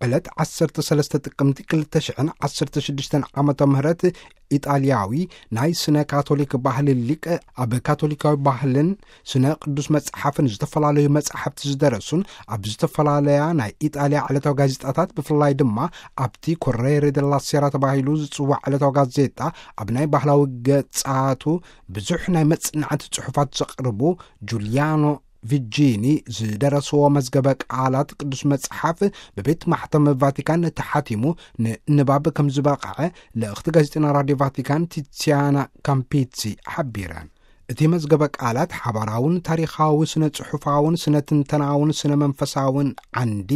ዕለት ዓሰርተ ሰለስተ ጥቅምቲ ክልተ ሽሕን ዓሰርተ ሽዱሽተን ዓመተ ምህረት፣ ኢጣልያዊ ናይ ስነ ካቶሊክ ባህሊ ሊቅ፣ ኣብ ካቶሊካዊ ባህልን ስነ ቅዱስ መጽሓፍን ዝተፈላለዩ መጻሕፍቲ ዝደረሱን፣ ኣብ ዝተፈላለያ ናይ ኢጣልያ ዕለታዊ ጋዜጣታት፣ ብፍላይ ድማ ኣብቲ ኮሬሬ ደላ ሴራ ተባሂሉ ዝጽዋዕ ዕለታዊ ጋዜጣ፣ ኣብ ናይ ባህላዊ ገጻቱ ብዙሕ ናይ መጽናዕቲ ጽሑፋት ዘቕርቡ ጁልያኖ ቪጂኒ ዝደረስዎ መዝገበ ቃላት ቅዱስ መጽሓፍ ብቤት ማሕተም ቫቲካን ተሓቲሙ ንንባብ ከም ዝበቕዐ ልእኽቲ ጋዜጠኛ ራድዮ ቫቲካን ቲሲያና ካምፒትሲ ሓቢረን። እቲ መዝገበ ቃላት ሓባራውን ታሪኻዊ፣ ስነ ጽሑፋውን፣ ስነ ትንተናውን፣ ስነ መንፈሳውን ዓንዲ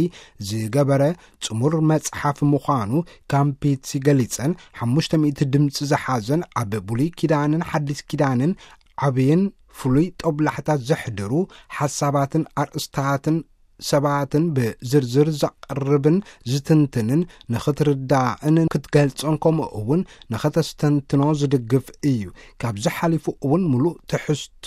ዝገበረ ጽሙር መጽሓፍ ምዃኑ ካምፒትሲ ገሊጸን፣ ሓሙሽተ ሚእቲ ድምጺ ዝሓዘን፣ ኣብ ብሉይ ኪዳንን ሓዲስ ኪዳንን ዓብይን ፍሉይ ጦብላሕታ ዘሕድሩ ሓሳባትን ኣርእስታትን ሰባትን ብዝርዝር ዘቕርብን ዝትንትንን፣ ንኽትርዳእን ክትገልጾን ከምኡ እውን ንኸተስተንትኖ ዝድግፍ እዩ። ካብዚ ሓሊፉ እውን ምሉእ ትሕዝቶ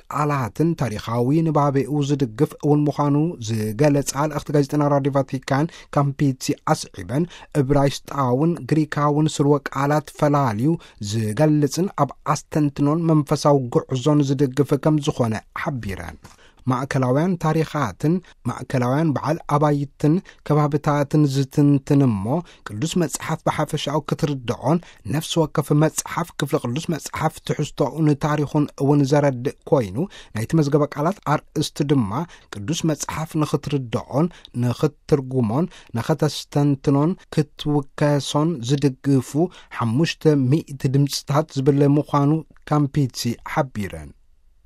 ቃላትን ታሪኻዊ ንባቤኡ ዝድግፍ እውን ምዃኑ ዝገለጻ ልእኽቲ ጋዜጠና ራድዮ ቫቲካን ካምፒትሲ ኣስዒበን፣ እብራይስጣውን ግሪካውን ስርወ ቃላት ፈላልዩ ዝገልጽን ኣብ ኣስተንትኖን መንፈሳዊ ጉዕዞን ዝድግፍ ከም ዝኾነ ሓቢረን። ማእከላውያን ታሪኻትን ማእከላውያን በዓል ኣባይትን ከባብታትን ዝትንትን እሞ፣ ቅዱስ መጽሓፍ ብሓፈሻኡ ክትርድኦን፣ ነፍሲ ወከፍ መጽሓፍ ክፍሊ ቅዱስ መጽሓፍ ትሕዝቶኡን ታሪኹን እውን ዘረድእ ኮይኑ፣ ናይቲ መዝገበ ቃላት ኣርእስቲ ድማ ቅዱስ መጽሓፍ ንኽትርድኦን ንኽትትርጉሞን ንኸተስተንትኖን ክትውከሶን ዝድግፉ ሓሙሽተ ሚእቲ ድምጽታት ዝብል ምዃኑ ካምፒትሲ ሓቢረን።